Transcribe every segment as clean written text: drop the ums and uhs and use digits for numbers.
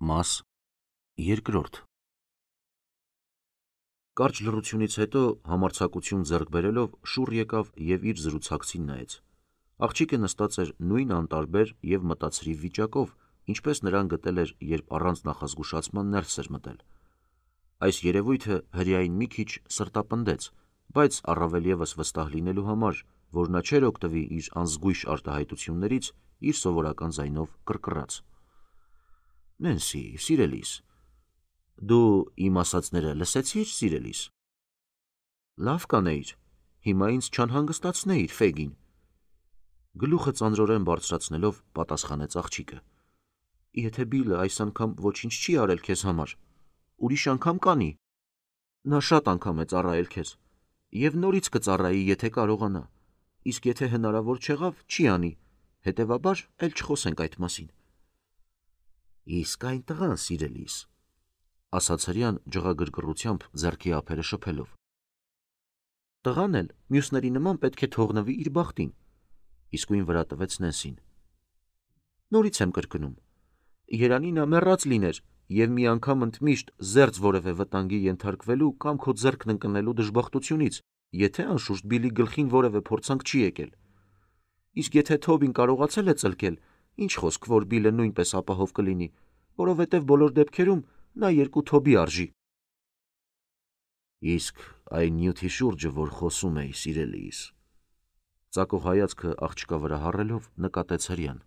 Մաս երկրորդ Կարճ լռությունից հետո համարձակություն ձեռք բերելով շուռ եկավ և իր զրուցակցին նայեց։ Աղջիկը նստած էր նույն անտարբեր և մտածրիվ վիճակով, ինչպես նրան գտել էր, երբ առանց նախազգուշացման ներս էր մտել։ Այս երևույթը հրեային մի քիչ սրտապնդեց, բայց առավել ևս վստահ լինելու համար, որ նա չէր օգտվի իր անզգույշ արտահայտություններից, իր սովորական ձայնով կռկռաց. «Նենսի, սիրելիս, դու իմ ասածները լսեցի՞ր, սիրելիս»։ «Լավ կանեիր, հիմա ինձ չանհանգստացնեիր, Ֆեգին»։ Գլուխը ծանրորեն բարձրացնելով պատասխանեց աղջիկը։ «Եթե Բիլը այս անգամ ոչինչ չի արել քեզ համար, ուրիշ անգամ կանի։ Նա շատ անգամ է ծառայել քեզ, և նորից կծառայի, եթե կարողանա, իսկ եթե հնարավոր չեղավ, չի անի, հետևաբար էլ չխոսենք այդ մասին»։ «Իսկ այն տղան, սիրելիս», ասաց հրեան ջղագրկռությամբ ձեռքի ափերը շփելով։ «Տղան էլ մյուսների նման պետք է թողնվի իր բախտին», իսկույն վրա տվեց Նենսին։ «Նորից եմ կրկնում, երանի նա մեռած լիներ և մի անգամ ընդմիշտ զերծ որևէ վտանգի ենթարկվելու կամ քո ձեռքն ընկնելու դժբախտությունից, եթե անշուշտ Բիլի գլխին որևէ փորձանք չի եկել։ Իսկ եթե Թոբին կարողացել է ծլկել, ինչ խոսք, որ Բիլը նույնպես ապահով կլինի, որովհետև բոլոր դեպքերում նա երկու Թոբի արժի»։ «Իսկ այն նյութի շուրջը, որ խոսում էի, սիրելիս», ծակող հայացքը աղջկա վրա հառելով նկատեց հրեան։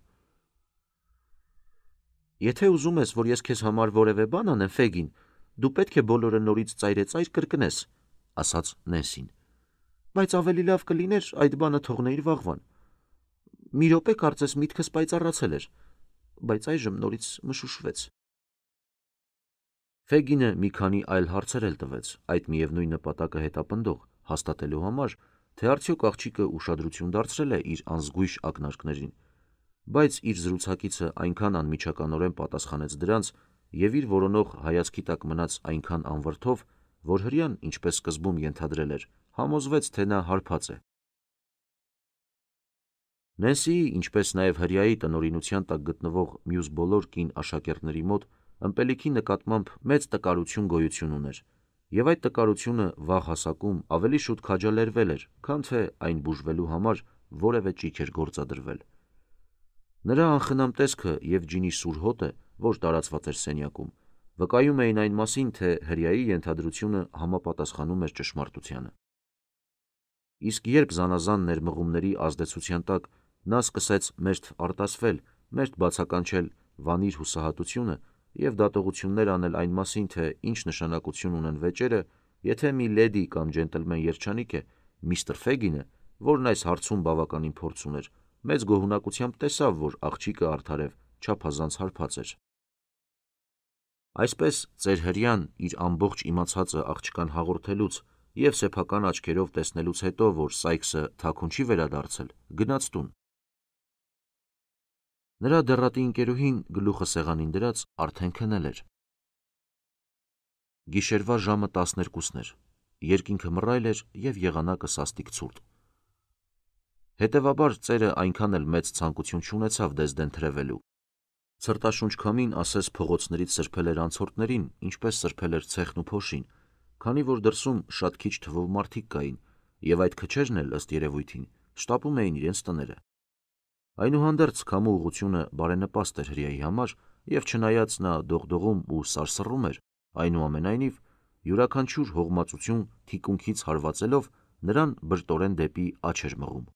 «Եթե ուզում ես, որ ես քեզ համար որևէ բան անեմ, Ֆեգին, դու պետք է բոլորը նորից ծայրեծայր կրկնես», ասաց Նենսին։ «Բայց ավելի լավ կլիներ այդ բանը թողնեիր վաղվան։ Մի րոպե կարծես միտքս պայծառացել էր, բայց այժմ նորից մշուշվեց»։ Ֆեգինը մի քանի այլ հարցեր էլ տվեց, այդ միևնույն նպատակը հետապնդող, հաստատելու համար, թե արդյոք աղջիկը ուշադրություն դարձրել է իր անզգույշ ակնարկներին, բայց իր զրուցակիցը այնքան անմիջականորեն պատասխանեց դրանց և իր որոնող հայացքի տակ մնաց այնքան անվրդով, որ հրեան, ինչպես սկզբում ենթադրել էր, համոզվեց, թե նա հարբած է։ Նենսիի, ինչպես նաև հրեայի տնօրինության տակ գտնվող մյուս բոլոր կին աշակերտների մոտ ըմպելիքի նկատմամբ մեծ տկարություն գոյություն ուներ, և այդ տկարությունը վաղ հասակում ավելի շուտ քաջալերվել էր, քան թե այն բուժվելու համար որևէ ճիգ էր գործադրվել։ Նրա անխնամ տեսքը և ջինի սուր հոտը, որ տարածված էր սենյակում, վկայում էին այն մասին, թե հրեայի ենթադրությունը համապատասխանում էր ճշմարտությանը։ Իսկ երբ զանազան ներմղումների ազդեցության տակ նա սկսեց մերթ արտասվել, մերթ բացականչել վանիր հուսահատությունը և դատողություններ անել այն մասին, թե ինչ նշանակություն ունեն վեճերը, եթե մի լեդի կամ ջենտլմեն երջանիկ է, միստր Ֆեգինը, որն այս հարցում բավականին փորձ ուներ, մեծ գոհունակությամբ տեսավ, որ աղջիկը արդարև չափազանց հարբած էր։ Այսպես ծեր հրեան իր ամբողջ իմացածը աղջկան հաղորդելուց և սեփական աչքերով տեսնելուց հետո, որ Սայքսը թաքուն չի վերադարձել, գնաց տուն։ Նրա դեռատի ընկերուհին, գլուխը սեղանին դրած, արդեն քնել էր։ Գիշերվա ժամը 12-ն էր, երկինքը մռայլ էր և եղանակը սաստիկ ցուրտ։ Հետևաբար ծերը այնքան էլ մեծ ցանկություն չունեցավ դեսդեն թրևելու։ Ցրտաշունչ քամին ասես փողոցներից սրբել էր անցորդներին, ինչպես սրբել էր ցեխն ու փոշին, քանի որ դրսում շատ քիչ թվով մարդիկ կային, և այդ քչերն էլ, ըստ երևույթին, շտապում էին իրենց տները։ Այնուհանդերձ քամու ուղղությունը բարենպաստ էր հրեայի համար, և չնայած նա դողդողում ու սարսռում էր, այնուամենայնիվ յուրաքանչյուր հողմածություն թիկունքից հարվածելով նրան բրտորեն դեպի աջ էր մղում։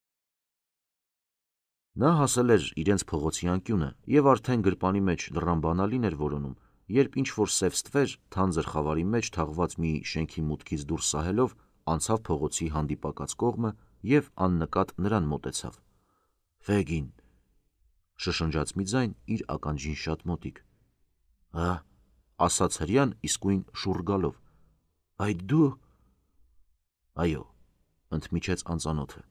Նա հասել էր իրենց փողոցի անկյունը և արդեն գրպանի մեջ լռան բանալին էր որոնում, երբ ինչ-որ սև ստվեր, թանձր խավարի մեջ թաղված մի շենքի մուտքից դուրս սահելով, անցավ փողոցի հանդիպակաց կողմը և աննկատ նրան մոտեցավ։ «Ֆեգին», շշնջաց մի ձայն իր ականջին շատ մոտիկ։ «Ա», ասաց հրեան իսկույն շուռ գալով։ «Այդ դու»։ «Այո», ընդմիջեց անծանոթը,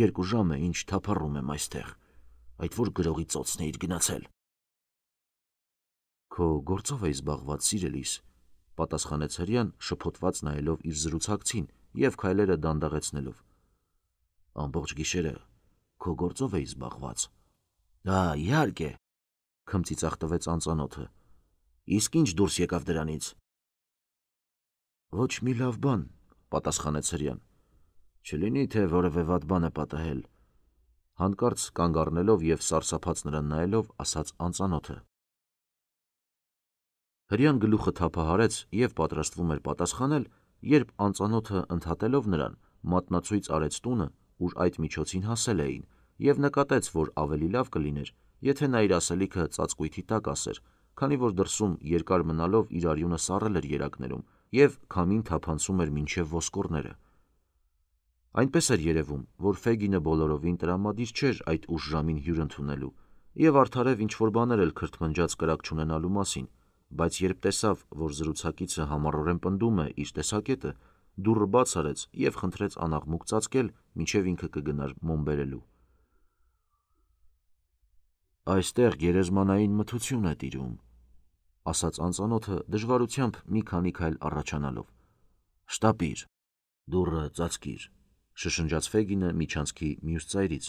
2 ժամ է, ինչ թափառում եմ այստեղ, այդ որ գրողի ծոցն էիր գնացել։ «Քո գործով էի զբաղված, սիրելիս», պատասխանեց հրեան, շփոթված նայելով իր զրուցակցին և քայլերը դանդաղեցնելով։ «Ամբողջ գիշերը քո գործով էի զբաղված»։ «Իհարկե», քմծիծաղ տվեց անծանոթը, Իսկ ինչ դուրս եկավ դրանից։ Ոչ մի լավ բան, պատասխանեց հրեան։ Չլինի թե որևէ վատ բան է պատահել։ Հանկարծ կանգ առնելով եւ սարսափած նրան նայելով, ասաց անծանոթը։ Հրեան գլուխը թափահարեց եւ պատրաստվում էր պատասխանել, երբ անծանոթը ընդհատելով նրան, մատնացույց արեց տունը, ուր այդ միջոցին հասել էին, եւ նկատեց, որ ավելի լավ կլիներ, եթե նա իր ասելիքը ծածկույթի տակ ասեր, քանի որ դրսում երկար մնալով իր արյունը սառել էր երակներում եւ քամին թափանցում էր մինչեւ ոսկորները։ Այնպես էր երևում, որ Ֆեգինը բոլորովին տրամադիր չէր այդ ուշ ժամին հյուր ընդունելու եւ արդարև ինչ-որ բաներ էլ քրթմնջաց կրակ չունենալու մասին, բայց երբ տեսավ, որ զրուցակիցը համառորեն պնդում է իր տեսակետը, դուռը բաց արեց եւ խնդրեց անաղմուկ ծածկել, մինչեւ ինքը կգնար մոմ բերելու։ Այստեղ գերեզմանային մթություն է տիրում, ասաց անծանոթը դժվարությամբ մի քանի քայլ առաջանալով։ Շտապիր, դուռը ծածկիր, շշնջաց Ֆեգինը միջանցքի մյուս ծայրից,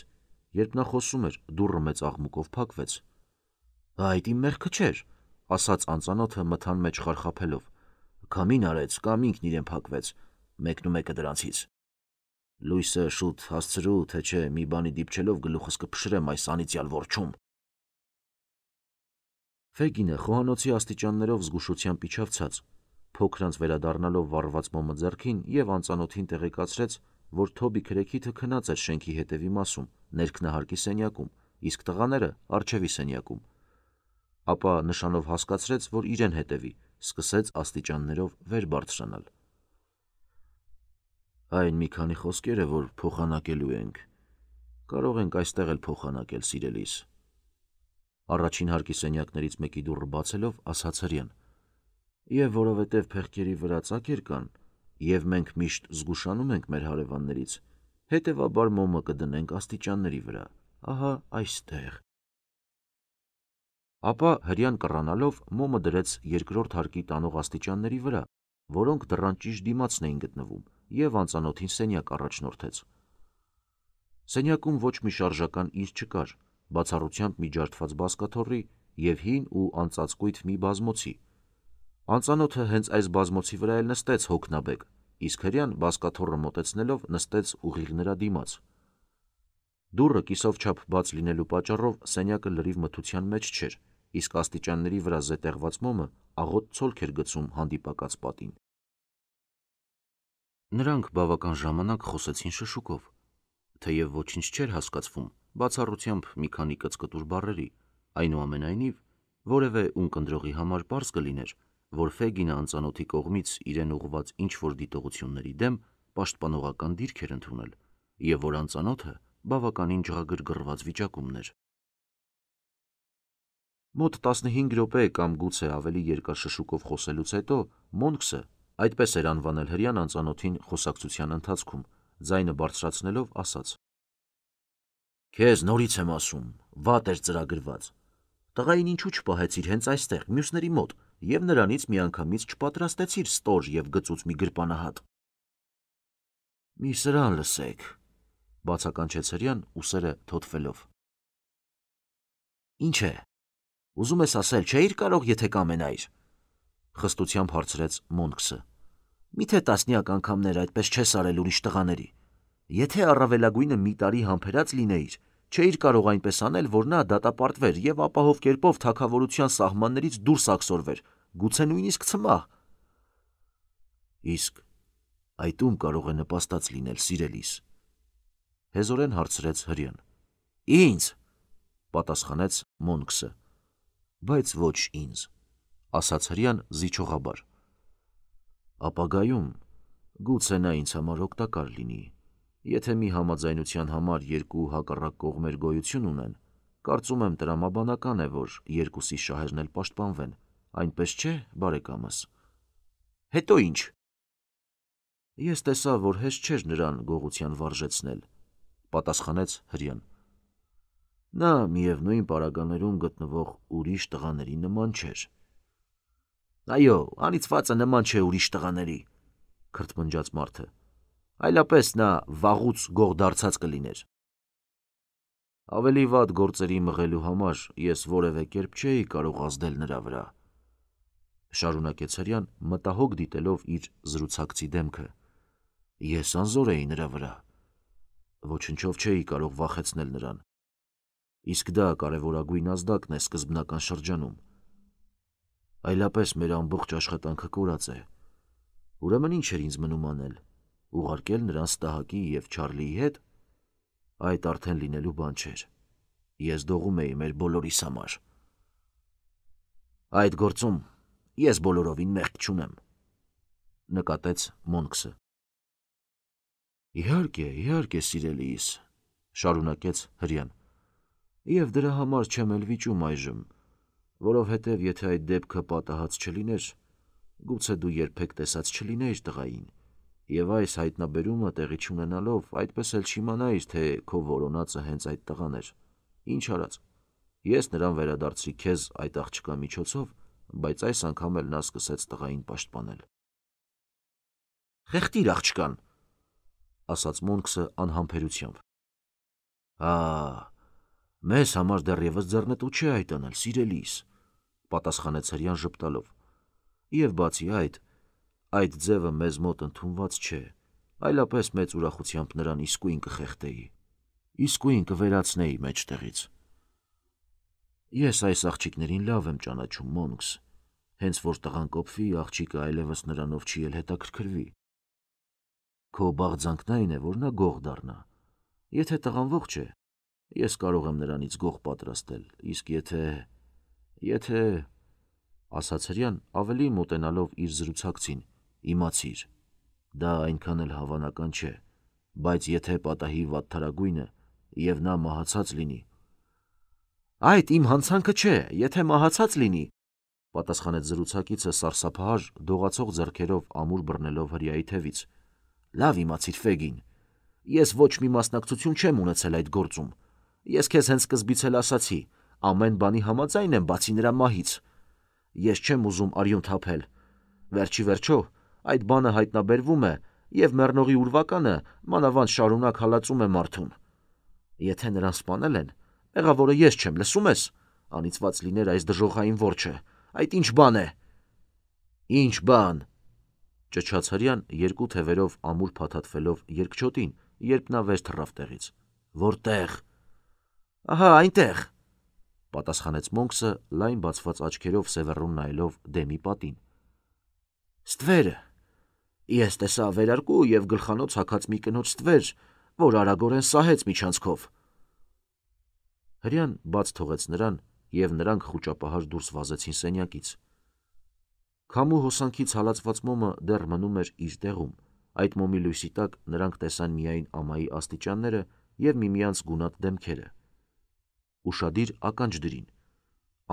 երբ նա խոսում էր, դուռը մեծ աղմուկով փակվեց։ Այդ իմ մեղքը չէր, ասաց անծանոթը մթան մեջ խարխափելով։ Քամին արեց կամ ինքն իրեն փակվեց, մեկնումեկը դրանցից։ Լույսը շուտ հասցրու, թե չէ մի բանի դիպչելով գլուխս կփշրեմ այս անիծյալ որջում։ Ֆեգինը խոհանոցի աստիճաններով զգուշությամբ իջավ ցած, փոքրանց վերադառնալով վառված մոմը ձեռքին եւ անծանոթին տեղեկացրեց, որ Թոբի քրեքիթը քնած էր շենքի հետևի մասում, ներքնահարկի սենյակում, իսկ տղաները առջևի սենյակում։ Ապա նշանով հասկացրեց, որ իրեն հետևի, սկսեց աստիճաններով վեր բարձրանալ։ Այն մի քանի խոսքեր է, որ փոխանակելու ենք։ Կարող ենք այստեղ էլ փոխանակել, սիրելիս։ Առաջին հարկի սենյակներից մեկի դուռը բացելով, ասաց հրեան։ Եվ որովհետև փեղկերի վրա ծակեր կան, եւ մենք միշտ զգուշանում ենք մեր հարևաններից, հետևաբար մոմը կդնենք աստիճանների վրա, ահա այստեղ։ Ապա հրեան կռանալով մոմը դրեց երկրորդ հարկի տանող աստիճանների վրա, որոնք դռան ճիշտ դիմացն էին գտնվում, եւ անծանոթին սենյակ առաջնորդեց։ Սենյակում ոչ մի շարժական իր չկար, բացառությամբ մի ջարդված բազկաթոռի եւ հին ու անծածկույթ մի բազմոցի։ Անծանոթը հենց այս բազմոցի վրա էլ նստեց հոգնաբեկ, իսկ հրեան բազկաթոռը մոտեցնելով նստեց ուղիղ նրա դիմաց։ Դուռը կիսով չափ բաց լինելու պատճառով սենյակը լրիվ մթության մեջ չէր, իսկ աստիճանների վրա զետեղված մոմը աղոտ ցոլք էր գցում հանդիպակաց պատին։ Նրանք բավական ժամանակ խոսեցին շշուկով, թեև ոչինչ չէր հասկացվում, բացառությամբ մի քանի կծկտուր բառերի, այնուամենայնիվ որևէ ունկնդրողի համար պարզ կլիներ, որ Ֆեգինը անծանոթի կողմից իրեն ուղղված ինչ-որ դիտողությունների դեմ պաշտպանողական դիրք էր ընդունել, եւ որ անծանոթը բավականին ջղագրգռված վիճակումն էր։ Մոտ 15 րոպե կամ գուցե ավելի երկար շշուկով խոսելուց հետո Մոնքսը, այդպես էր անվանել հրեան անծանոթին խոսակցության ընթացքում, ձայնը բարձրացնելով ասաց. Քեզ նորից եմ ասում, վատ էր ծրագրված։ Տղային ինչու չպահեցիր հենց այստեղ, մյուսների մոտ, եւ նրանից միանգամից չպատրաստեցիր ստոր եւ գծուց մի գրպանահատ։ Մի սրան լսեք, բացականչեց հրեան ուսերը թոթվելով։ Ինչ է։ Ուզում ես ասել, չէիր կարող, եթե կամենայիր, խստությամբ հարցրեց Մոնքսը։ Միթե տասնյակ անգամներ այդպես չես արել ուրիշ տղաների։ Եթե առավելագույնը մի տարի համբերած լինեիր, չէիր կարող այնպես անել, որ նա դատապարտվեր եւ ապահով կերպով թագավորության սահմաններից դուրս աքսորվեր, գուցե նույնիսկ ցմահ։ Իսկ այդ ում կարող է նպաստած լինել, սիրելիս, հեզորեն հարցրեց հրեան։ Ինձ, պատասխանեց Մոնքսը։ Բայց ոչ ինձ, ասաց հրեան զիջողաբար։ Ապագայում գուցե նա ինձ համար օգտակար լինի։ Եթե մի համաձայնության համար երկու հակառակ կողմեր գոյություն ունեն, կարծում եմ տրամաբանական է, որ երկուսի շահերն էլ պաշտպանվեն, այնպես չէ, բարեկամս։ Հետո ինչ։ Ես տեսա, որ հեշտ չէր նրան գողության վարժեցնել, պատասխանեց հրեան։ Նա միևնույն պարագաներում գտնվող ուրիշ տղաների նման չէր։ Այո, անիծվածը նման չէ ուրիշ տղաների, քրթմնջաց մարդը, այլապես նա վաղուց գող դարձած կլիներ։ Ավելի վատ գործերի մղելու համար ես որևէ կերպ չէի կարող ազդել նրա վրա։ Շարունակեց հրյան, մտահոգ դիտելով իր զրուցակցի դեմքը։ Ես անզոր էի նրա վրա։ Ոչնչով չէի կարող վախեցնել նրան։ Իսկ դա կարևորագույն ազդակն է սկզբնական շրջանում։ Այլապես մեր ամբողջ աշխատանքը կորած է։ Ուրեմն ինչ էր ինձ մնում անել։ Ուղարկել նրան Ստահակի և Չարլիի հետ։ Այդ արդեն լինելու բան չէր։ Ես դողում էի մեր բոլորիս համար։ Այդ գործում ես բոլորովին մեղք չունեմ, նկատեց Մոնքսը։ Իհարկե, սիրելիս, շարունակեց հրյան։ Եվ դրա համար չեմ էլ վիճում այժմ, որովհետև եթե այդ դեպքը պատահած չլիներ, գուցե դու երբեք տեսած չլինեիր տղային, և այս հայտնաբերումը տեղի չունենալով այդպես էլ չիմանայիր, թե քո որոնածը հենց այդ տղան էր։ Ինչ արած, ես նրան վերադարձրի քեզ այդ աղջկա միջոցով, բայց այս անգամ էլ նա սկսեց տղային պաշտպանել։ Խեղդիր աղջկան, ասաց Մոնքսը անհամբերությամբ։ Մեզ համար դեռևս ձեռնտու չէ այդ անել, սիրելիս, պատասխանեց հրյան ժպտալով։ Եվ բացի այդ ձևը մեզ մոտ ընդունված չէ, այլապես մեծ ուրախությամբ նրան իսկույն կխեղդեի, իսկույն կվերացնեի մեջտեղից։ Ես այս աղջիկներին լավ եմ ճանաչում, Մոնքս, հենց որ տղան կոփվի, աղջիկը այլևս նրանով չի էլ հետաքրքրվի։ Քո բաղձանքն այն է, որ նա գող դառնա։ Եթե տղան ողջ է, ես կարող եմ նրանից գող պատրաստել, իսկ եթե, ասաց հրյան ավելի մոտենալով իր զրուցակցին, իմացիր, դա այնքան էլ հավանական չէ, բայց եթե պատահի վատթարագույնը և նա մահացած լինի։ Այդ իմ հանցանքը չէ, եթե մահացած լինի, պատասխանեց զրուցակիցը սարսափահար դողացող ձեռքերով ամուր բռնելով հրյայի թևից։ Լավ իմացիր, Ֆեգին, ես ոչ մի մասնակցություն չեմ ունեցել այդ գործում։ Ես քեզ հենց սկզբից էլ ասացի, ամեն բանի համաձայն եմ, բացի նրա մահից։ Ես չեմ ուզում արյուն թափել։ Վերջի վերջո, այդ բանը հայտնաբերվում է, և մեռնողի ուրվականը մանավանդ շարունակ հալածում է մարդուն։ Եթե նրան սպանել են, մեղավորը ես չեմ, լսում ես, անիծված լիներ այս դժոխային որջը, այդ ինչ բան է։ Ինչ բան, ճչաց հրյան երկու թևերով ամուր փաթաթվելով երկչոտին, երբ նա վեր թռավ տեղից։ Որտեղ։ Ահա այնտեղ, պատասխանեց Մոնքսը լայն բացված աչքերով սևեռուն նայելով դեմի պատին։ Ստվերը։ Ես տեսա վերարկու և գլխանոց հագած մի կնոջ ստվեր, որ արագորեն սահեց միջանցքով։ Հրյան բաց թողեց նրան, և նրանք խուճապահար դուրս վազեցին սենյակից։ Քամու հոսանքից հալածված մոմը դեռ մնում էր իր տեղում, այդ մոմի լույսի տակ նրանք տեսան միայն ամայի աստիճանները և միմյանց գունատ դեմքերը։ Ուշադիր ականջ դրին։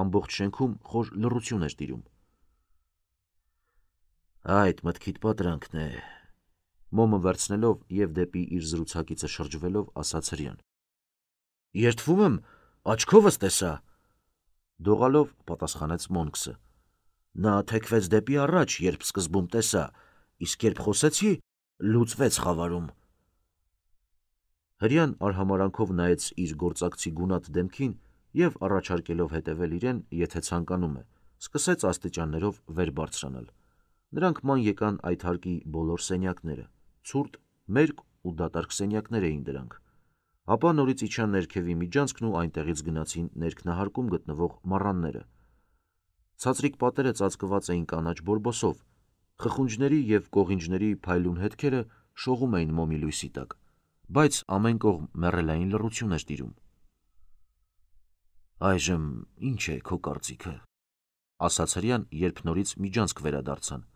Ամբողջ շենքում խոր լռություն էր տիրում։ Այդ մտքիդ պատրանքն է, մոմը վերցնելով և դեպի իր զրուցակիցը շրջվելով ասաց հրյան։ Երդվում եմ, աչքովս տեսա, դողալով պատասխանեց Մոնքսը։ Նա թեքվեց դեպի առաջ, երբ սկզբում տեսա, իսկ երբ խոսեցի, լուծվեց խավարում։ Հրյան արհամարանքով նայեց իր գործակցի գունատ դեմքին և առաջարկելով հետևել իրեն, եթե ցանկանում է, սկսեց աստիճաններով վեր բարձրանալ։ Նրանք ման եկան այդ հարկի բոլոր սենյակները, ցուրտ, մերկ ու դատարկ սենյակներ էին դրանք։ Ապա նորից իջան ներքևի միջանցքն ու այնտեղից գնացին ներքնահարկում գտնվող մառանները։ Ցածրիկ պատերը ծածկված էին կանաչ բորբոսով, խխունջների և կողինջների փայլուն հետքերը շողում էին մոմի լույսի տակ, բայց ամեն կողմ մեռելային լռություն էր տիրում։ Այժմ ինչ է քո կարծիքը, ասաց հրյան, երբ նորից միջանցք վերադարձան։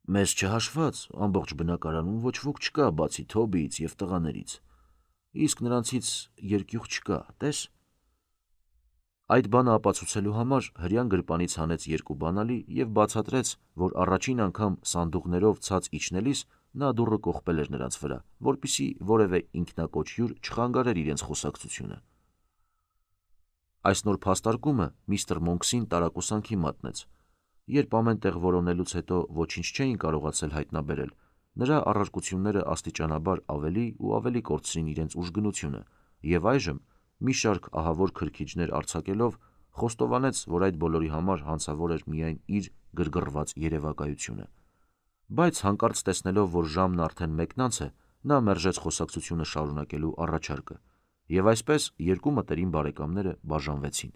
Մեզ չհաշված, ամբողջ բնակարանում ոչ ոք չկա, բացի Թոբիից և տղաներից, իսկ նրանցից երկյուղ չկա, տես։ Այդ բանը ապացուցելու համար հրյան գրպանից հանեց երկու բանալի և բացատրեց, որ առաջին անգամ սանդուղներով ցած իջնելիս նա դուռը կողպել էր նրանց վրա, որպեսզի որևէ ինքնակոչ հյուր չխանգարեր իրենց խոսակցությունը։ Այս նոր փաստարկումը միստր Մոնքսին տարակուսանքի մատնեց։ Երբ ամեն տեղ որոնելուց հետո ոչինչ չէին կարողացել հայտնաբերել, նրա առարկությունները աստիճանաբար ավելի ու ավելի կորցրին իրենց ուժգնությունը, և այժմ, մի շարք ահավոր քրքիջներ արձակելով, խոստովանեց, որ այդ բոլորի համար հանցավոր էր միայն իր գրգռված երևակայությունը։ Բայց հանկարծ տեսնելով, որ ժամն արդեն մեկնանց է, նա մերժեց խոսակցությունը շարունակելու առաջարկը, և այսպես երկու մտերիմ բարեկամները բաժանվեցին։